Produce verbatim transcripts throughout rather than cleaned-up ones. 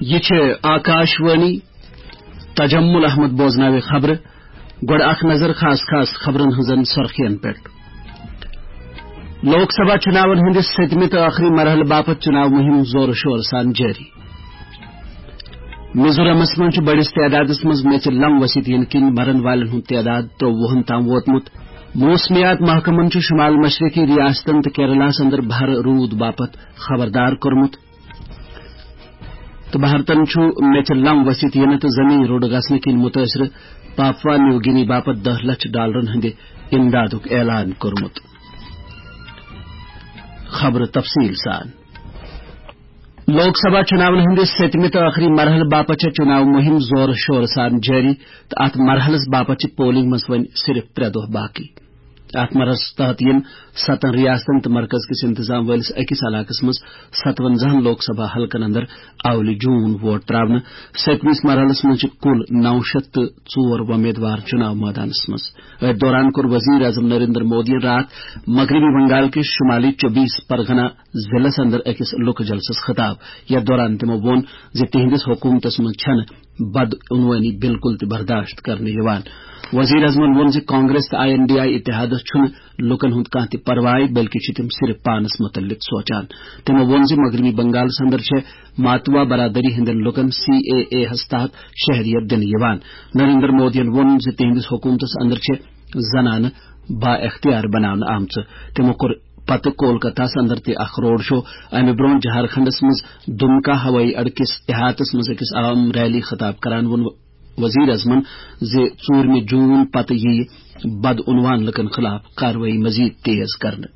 یہِ چھِ آکاش وانی۔ تجمل احمد بوزناوِ خبرٕ۔ گۄڈٕ اکھ نظر خاص خاص خبرن ہٕنٛزن سرخین پٮ۪ٹھ۔ لوک سبھا چُناون ہٕنٛدِس سٔتمہِ تہٕ ٲخری مرحلہٕ باپتھ چُناو مُہِم زورٕ شورٕ سان جٲری۔ میزورامس منٛز چھُ بٔڑِس تعدادس منٛز میٚژِ لم ؤسِتھ یِنہٕ کِنۍ مرن والٮ۪ن ہُنٛد تعداد ترٛۆوُہن تام ووتمُت۔ موسمیات محکمن چھُ شمال مشرقی ریاستن تہٕ کیرلاہس اندر بھر روٗد باپتھ خبردار کوٚرمُت۔ تہٕ بھارتن چھُ میٚژِ لم ؤسِتھ یِنہٕ تہٕ زمین روٚڑ گژھنہٕ کِنۍ مُتٲثرٕ پاپوا نیو گِنی باپتھ دَہ لچھ ڈالرن ہٕنٛدِ امدادُک اعلان کوٚرمُت۔ خبرٕ تفصیٖل سان۔ لوک سبھا چُناون ہٕنٛدِس سٔتمہِ تہٕ ٲخری مرحلہٕ باپتھ چھےٚ چُناو مُہِم زورٕ شورٕ سان جٲری تہٕ اتھ مرحلس باپتھ چھِ پولنگ منٛز وۄنۍ صرف ترٛےٚ دۄہ باقی۔ اتھ مرحلس تحت یِن ستن ریاستن تہٕ مرکز کِس انتظام وٲلِس أکِس علاقس منٛز ستونزاہن لوک سبھا حلقن اندر اولہِ جون ووٹ تراونہٕ۔ سٔتمِس مرحلس منٛز چھِ کُل نو شیٚتھ تہٕ ژور وۄمیدوار چُناو مٲدانس منٛز۔ أتھۍ دوران کوٚر وزیر اعظم نریندر مودیَن راتھ مغربی بنگال کِس شمالی چوبیس پرگنا ضلعس اندر أکِس لُکہٕ جلسس خطاب۔ یتھ دوران تِمو ووٚن زِ تِہنٛدِس حکومتس منٛز چھنہٕ بدعنوٲنی بالکل تہِ برداشت کرنہٕ یِوان۔ وزیر اعظمن ووٚن زِ کانگریس تہٕ آئی این ڈی آئی اتحادس چھُنہٕ لوٗکن ہُنٛد کانٛہہ تہِ پرواے، بلکہِ چھِ تِم صرف پانس مُتعلق سونچان۔ تِمو ووٚن زِ مغربی بنگالس اندر چھےٚ ماتوا برادری ہٕنٛدٮ۪ن لوٗکن سی اے اے ہس تحت شہریت دِنہٕ یِوان۔ نریندر مودیَن ووٚن زِ تِہنٛدِس حکومتس اندر چھےٚ زنانہٕ با اختیار بناونہٕ آمژٕ۔ تِمو کوٚر پتہٕ کولکتہس اندر تہِ اکھ روڈ شو۔ امہِ برونٛہہ جھارکھنڈس منٛز دُمکا ہوٲیی اڈٕ کِس احاطس منٛز أکِس عام ریلی خطاب کران ووٚن وزیر اعظمن زِ ژوٗرمہِ جون پتہٕ یِیہِ بدعنوان لُکن خلاف کاروٲیی مزید تیز کرنہٕ۔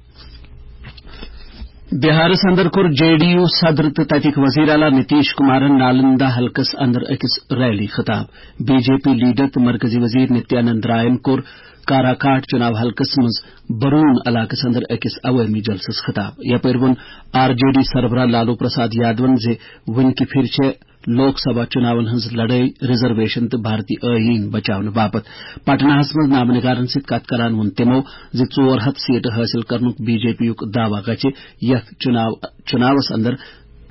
بہارس اندر کوٚر جے ڈی یو صدر تہٕ تتِکۍ وزیر اعلیٰ نتیش کمارن نالندہ حلقس اندر أکِس ریلی خطاب۔ بی جے پی لیڈر تہٕ مرکزی وزیر نتیانند رائن کوٚر کاراکاٹ چُناو حلقس منٛز برون علاقس اندر أکِس عوٲمی جلسس خطاب۔ یپٲرۍ ووٚن آر جے ڈی سربراہ لالو پرساد یادون زِ وُنہِ کہِ پھِرِ چھےٚ لوک سبھا چُناون ہٕنٛز لڑٲے ریزرویشن تہٕ بھارتی ٲییٖن بچاونہٕ باپتھ۔ پٹناہس منٛز نامہ نگارن سۭتۍ کتھ کران ووٚن تِمو زِ ژور ہتھ سیٹہٕ حٲصِل کرنُک بی جے پی یُک دعویٰ گژھِ یتھ چُناو-، چُناوس اندر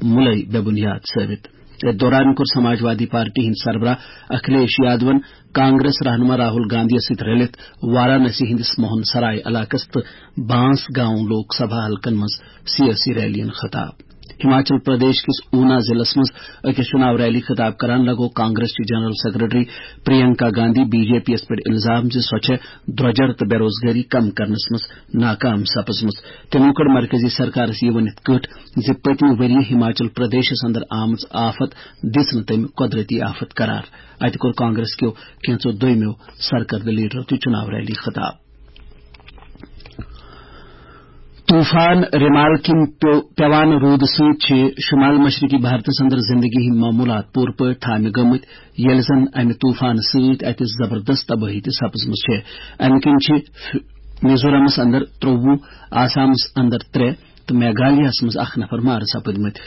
مُلے بے بُنیاد ثٲبِت۔ أتھۍ دوران کوٚر سماجوادی پارٹی ہٕنٛدۍ سربراہ اکھلیش یادون کانگریس رہنما راہل گاندھیَس سۭتۍ رٔلِتھ وارانسی ہٕنٛدِس موہن سرائے علاقس تہٕ بانس گاؤں لوک سبھا حلقن منٛز سیٲسی ریلیَن خطاب۔ ہماچل پردیش کِس اونا ضلعس منٛز أکِس چُناو ریلی خطاب کران لگوو کانگریس چہِ general secretary Priyanka Gandhi B J P یَس پٮ۪ٹھ الزام زِ سۄ چھےٚ درۄجر تہٕ بے روزگٲری کم کرنس منٛز ناکام سپٕزمٕژ۔ تٔمۍ کٔر مرکزی سرکارس یہِ ؤنِتھ کٔٹ زِ پٔتمہِ ؤرۍ یہِ ہماچل پردیشس اندر آمٕژ آفت دِژ نہٕ تٔمۍ قۄدرتی آفت قرار۔ اتہِ کوٚر کانگریس کیو کینژو دوٚیمیو سرکردٕ لیڈرو تہِ چُناو ریلی خطاب۔ طوفان ریمال کِنۍ پیو-، پیوان روٗدٕ سۭتۍ چھِ شمال مشرقی بھارتس اندر زندگی ہٕنٛدۍ معمولات پوٗرٕ پٲٹھۍ تھامہِ گٔمٕتۍ، ییٚلہِ زن امہِ طوفانہٕ سۭتۍ اتہِ زبردست تبٲہی تہِ سپٕزمٕژ چھےٚ۔ امہِ کِنۍ چھِ ف-، میزورامس اندر ترٛۆوُہ، آسامس اندر ترٛےٚ تہٕ میگھالیہس منٛز اکھ نفر مارٕ سپٕدمٕتۍ۔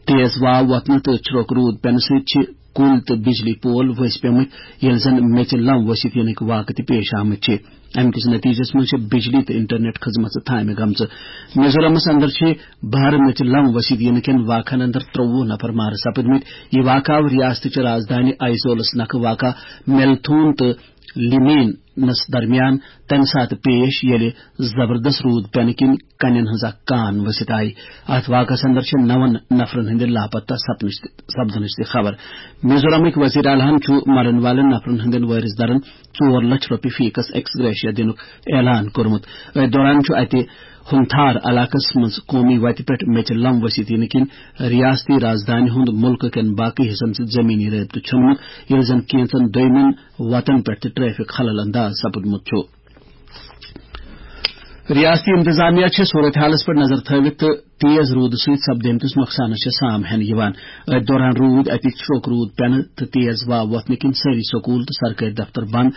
تیز واو وۄتھنہٕ تہٕ چھرٛوٚک روٗد پٮ۪نہٕ سۭتۍ چھِ کُلۍ تہٕ بجلی پول ؤسۍ پیمٕتۍ، ییٚلہِ زن میٚژِ لم ؤسِتھ یِنٕکۍ واقعہٕ تہِ پیش آمٕتۍ چھِ۔ امہِ کِس نتیجس منٛز چھےٚ بجلی تہٕ انٹرنیٹ خدمژٕ تھامہِ گٔمژٕ۔ میزورامس اندر چھِ بھارٕ میٚژِ لم ؤسِتھ یِنہٕ کٮ۪ن واقعن اندر ترٛۆوُہ نفر مارٕ سپٕدمٕتۍ۔ یہِ واقعہٕ آو ریاستٕچہِ رازدانہِ آیزولس نکھٕ واقع میلتھون تہٕ لیمینس درمیان تمہِ ساتہٕ پیش، ییٚلہِ زبردست روٗد پٮ۪نہٕ کِنۍ کنٮ۪ن ہٕنٛز اکھ کان ؤسِتھ آیہِ۔ اتھ واقعس اندر چھِ نون نفرن ہٕنٛدِ لاپتہ سپنٕچ تہِ، سپدنٕچ تہِ خبر۔ میزورامٕکۍ وزیر اعلیٰ ہن چھُ مرن والٮ۪ن نفرن ہٕنٛدٮ۪ن وٲرث دارن ژور لچھ رۄپیہِ فی کس ایکس گریشیا دِنُک اعلان کوٚرمُت۔ أتھۍ دوران چھُ اتہِ ہُنتھار علاقس منٛز قومی وتہِ پٮ۪ٹھ میٚژِ لم ؤسِتھ یِنہٕ کِنۍ ریاستی رازدانہِ ہُنٛد مُلکہٕ کٮ۪ن باقٕے حصن سۭتۍ زمینی رٲبطہٕ ژھیوٚنمُت، ییٚلہِ زن کینژن دوٚیمٮ۪ن وتن پٮ۪ٹھ تہِ ٹریفک خلل انداز سپُدمُت چھُ۔ ریاستی انتظامیہ چھِ صورتحالس پٮ۪ٹھ نظر تھٲوِتھ تہٕ تیز روٗدٕ سۭتۍ سپدیمتِس نۄقصانس چھِ سام ہٮ۪نہٕ یِوان۔ أتھۍ دوران روٗدۍ اَتہِ چھرٛوٚک روٗد پٮ۪نہٕ تہٕ تیز واو وۄتھنہٕ کِنۍ سٲری سکوٗل تہٕ سرکٲرۍ دفتر بنٛد۔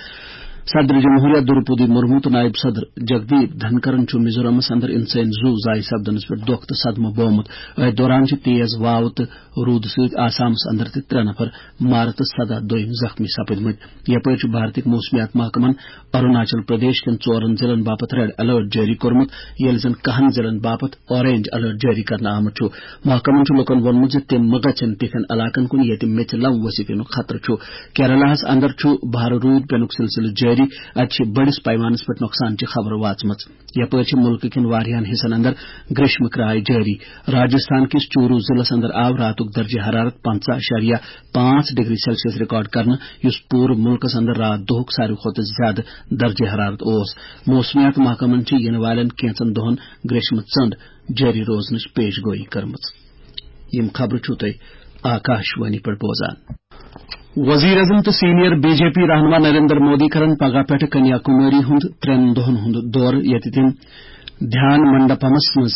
صدر جمہوریہ درپدی مرمو تہٕ نائب صدر جگدیپ دھنکرن چھُ میزورامس اندر انسٲنی زُو ضایع سپدنس پٮ۪ٹھ دۄکھ تہٕ صدمہٕ بومُت۔ أتھۍ دوران چھِ تیز واو تہٕ روٗدٕ سۭتۍ آسامس اندر تہِ ترٛےٚ نفر مارٕ تہٕ سداہ دوٚیِم زخمی سپٕدمٕتۍ۔ یپٲرۍ چھُ بھارتٕکۍ موسمیات محکمن اروناچل پردیش کٮ۪ن ژورن ضلعن باپتھ ریڈ الرٹ جٲری کوٚرمُت، ییٚلہِ زن کہن ضلعن باپتھ اورینج الرٹ جٲری کرنہٕ آمُت چھُ۔ محکمن چھُ لوٗکن ووٚنمُت زِ تِم مہ گژھن تِتھٮ۪ن علاقن کُن ییٚتہِ میٚژِ لم ؤسِتھ یِنُک خطرٕ چھُ۔ کیرلاہس اندر چھُ بھارٕ روٗد پینُک سلسلہٕ جٲری، اتہِ چھِ بٔڑِس پیمانس پٮ۪ٹھ نۄقصانچہِ خبرٕ واژمژٕ۔ یپٲرۍ چھِ مُلکہٕ کٮ۪ن واریاہن حصن اندر گریشمہٕ کرایہِ جٲری۔ راجستھان کِس چوٗرو ضلعس اندر آو راتُک درجہ حرارت پنٛژاہ اعشاریہ پانٛژھ ڈگری سیلسیس ریکارڈ کرنہٕ، یُس پوٗرٕ مُلکس اندر راتھ دۄہُک ساروی کھۄتہٕ زیادٕ درجہ حرارت اوس۔ موسمیات محکمن چھِ یِنہٕ والٮ۪ن کینٛژن دۄہن گریشمہٕ ژٔنٛڈ جٲری روزنٕچ پیش گویی کٔرمٕژ۔ یِم خبرٕ چھِو تُہۍ آکاش وانی پٮ۪ٹھ بوزان۔ وزیر اعظم تہٕ سینئر بی جے پی رہنما نریندر مودی کرن پگاہ پٮ۪ٹھٕ کنیا کماری ہُنٛد ترٛٮ۪ن دۄہن ہُنٛد دورٕ، ییٚتہِ تِم دھیان منڈپمس منٛز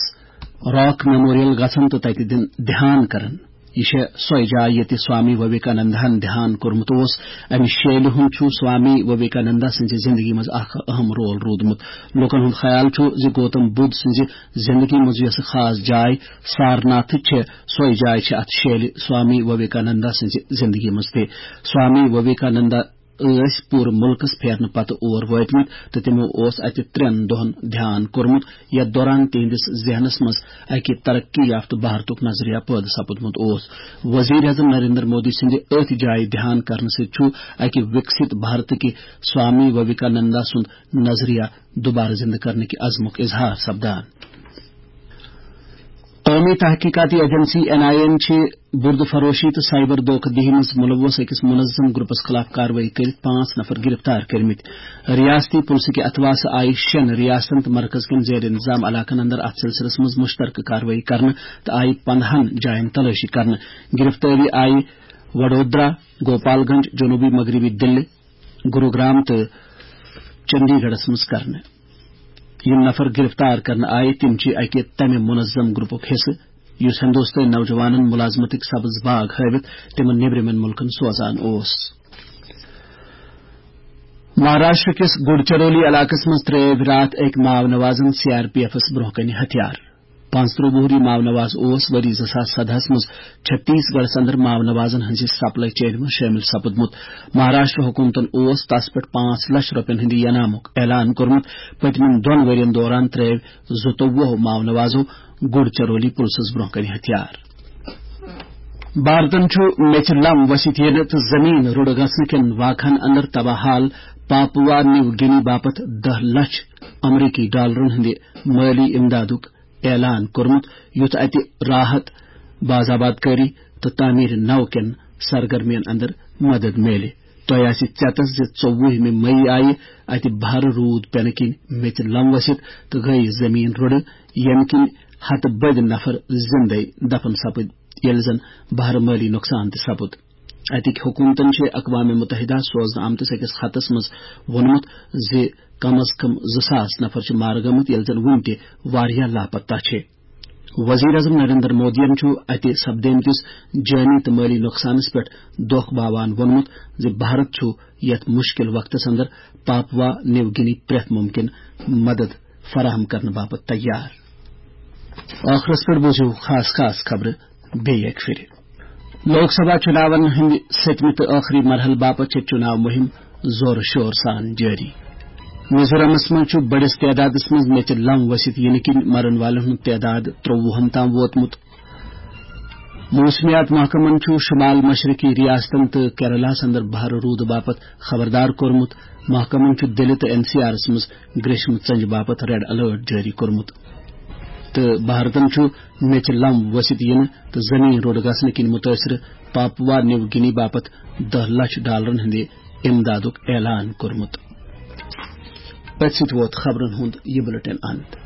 راک میموریل گژھن تہٕ تتہِ دِن دھیان کرن۔ یہِ چھےٚ سۄے جاے ییٚتہِ سوامی وویکاننداہن دھیان کوٚرمُت اوس۔ امہِ شیلہِ ہُنٛد چھُ سوامی وویکانندا سٕنٛزِ زندگی منٛز اکھ اہم رول روٗدمُت۔ لوٗکن ہُنٛد خیال چھُ زِ گوتم بدھ سٕنٛزِ زندگی منٛز یۄس خاص جاے سارناتھ چھےٚ، سۄے جاے چھےٚ اتھ شیلہِ سوامی وویکانندا سٕنٛزِ زندگی منٛز تہِ۔ سوامی وویکانندا ٲسۍ پوٗرٕ مُلکس پھیرنہٕ پتہٕ اور وٲتمٕتۍ تہٕ تِمو اوس اتہِ ترٛٮ۪ن دۄہن دھیان کوٚرمُت، یتھ دوران تِہنٛدِس ذہنس منٛز اکہِ ترقی یافتہٕ بھارتُک نظریہ پٲدٕ سپُدمُت اوس۔ وزیر اعظم نریندر مودی سٕنٛدِ أتھۍ جایہِ دھیان کرنہٕ سۭتۍ چھُ اکہِ وِکسِت بھارتٕکہِ سوامی وویکانندا سُنٛد نظریہ دوبارٕ زندٕ کرنٕکہِ عزمُک اظہار سپدان۔ قومی تحقیقاتی ایجنسی این آئی اے چھِ بُرد فروشی تہٕ سائبر دھوکہ دہی منٛز ملوث أکِس منظم گروپس خلاف کاروٲیی کٔرِتھ پانٛژھ نفر گرفتار کٔرمٕتۍ۔ ریاستی پُلسہٕ کہِ اتھواسہٕ آیہِ شٮ۪ن ریاستن تہٕ مرکز کٮ۪ن زیر انتظام علاقن اندر اتھ سلسلس منٛز مشترکہٕ کاروٲیی کرنہٕ تہٕ آیہِ پندہن جاین تلٲشی کرنہٕ۔ گرفتٲری آیہِ وڈودرا، گوپال گنج، جنوبی مغربی دِلہِ، گروگرام تہٕ چندی گڑھس منٛز کرنہٕ۔ یِم نفر گرفتار کرنہٕ آیہِ، تِم چھِ اکہِ تمہِ منظم گروپُک حصہٕ، یُس ہندوستٲنۍ نوجوانن ملازمتٕکۍ سبز باغ ہٲوِتھ تِمن نیبرِمٮ۪ن مُلکن سوزان اوس۔ مہاراشٹر کِس گڈچرولی علاقس منٛز ترٲوۍ راتھ أکۍ ماو نوازن سی آر پی ایفس برونٛہہ کنہِ ہتھیار۔ پانٛژترٕہ وُہری ماو نواز اوس ؤری زٕ ساس سدہس منٛز چھتیس گڑھس اندر ماو نوازن ہٕنٛزِ سپلائی چینہِ منٛز شٲمِل سپُدمُت۔ مہاراشٹر حکومتن اوس تس پٮ۪ٹھ پانٛژھ لچھ رۄپین ہٕنٛدِ انعامُک اعلان کوٚرمُت۔ پٔتمٮ۪ن دۄن ؤرین دوران ترٲوۍ زٕتووُہ ماو نوازو گڈچرولی پُلسس برونٛہہ کنہِ ہتھیار۔ بھارتن چھُ میٚژِ لم ؤسِتھ یِنہٕ تہٕ زٔمیٖن رُڈٕ گژھنہٕ کٮ۪ن واقعن اندر تباہ حال پاپوا نیو گِنی باپتھ دَہ لچھ امریکی ڈالرن ہٕنٛدِ مٲلی امدادُک اعلان کوٚرمُت، یُتھ اتہِ راحت، باز آباد کٲری تہٕ تعمیٖر نو کٮ۪ن سرگرمین اندر مدد میلہِ۔ تۄہہِ آسہِ ژیتس زِ ژوٚوُہمہِ مئی آیہِ اتہِ بھارٕ روٗد پینہٕ کِنۍ میٚژِ لم ؤسِتھ تہٕ گٔیہِ زٔمیٖن رُڈٕ، ییٚمہِ کِنۍ ہتہٕ بٔدۍ نفر زِندَے دفن سپٕدۍ، ییٚلہِ زن بھارٕ مٲلی نۄقصان تہِ سپُد۔ اتِکۍ حکومتن چھِ اقوام متحدہ سوزنہٕ آمتِس أکِس خطس منٛز ووٚنمُت زِ کم از کم زٕ ساس نفر چھِ مارٕ گٔمٕتۍ، ییٚلہِ زن وُنہِ تہِ واریاہ لاپتہ چھِ۔ وزیر اعظم نریندر مودیَن چھُ اتہِ سپدیمتِس جٲنی تہٕ مٲلی نۄقصانس پٮ۪ٹھ دۄکھ باوان ووٚنمُت زِ بھارت چھُ یتھ مُشکل وقتس اندر پاپوا نیو گِنی پرٛٮ۪تھ مُمکِن مدد فراہم کرنہٕ باپتھ تیار۔ ٲخرس پٮ۪ٹھ بوٗزِو خاص خاص خبرٕ بیٚیہِ اکہِ پھِرِ۔ لوک سبھا چُناون ہٕنٛدِ سٔتمہِ تہٕ ٲخری مرحلہٕ باپتھ چھےٚ چُناو مُہِم زورٕ شور سان جٲری۔ میزورامس منٛز چھُ بٔڑِس تعدادس منٛز میٚژِ لم ؤسِتھ یِنہٕ کِنۍ مرن والٮ۪ن ہُنٛد تعداد ترٛۆوُہن تام ووتمُت۔ موسمیات محکمن چھُ شمال مشرقی ریاستن تہٕ کیرلاہس اندر بھارٕ روٗدٕ باپتھ خبردار کوٚرمُت۔ محکمن چھُ دِلہِ تہٕ این سی آرس منٛز گریشمہٕ ژنجہِ باپتھ ریڈ الرٹ جٲری کوٚرمُت۔ تہٕ بھارتن چھُ میٚژِ لم ؤسِتھ یِنہٕ تہٕ زٔمیٖن روٚڑ گژھنہٕ کِنۍ مُتٲثرٕ پاپوا نیو گِنی باپتھ دَہ لچھ ڈالرن ہٕنٛدِ امدادُک اعلان کوٚرمُت۔ أتھۍ سۭتۍ ووت خبرن ہُنٛد یہِ بُلٹن اند۔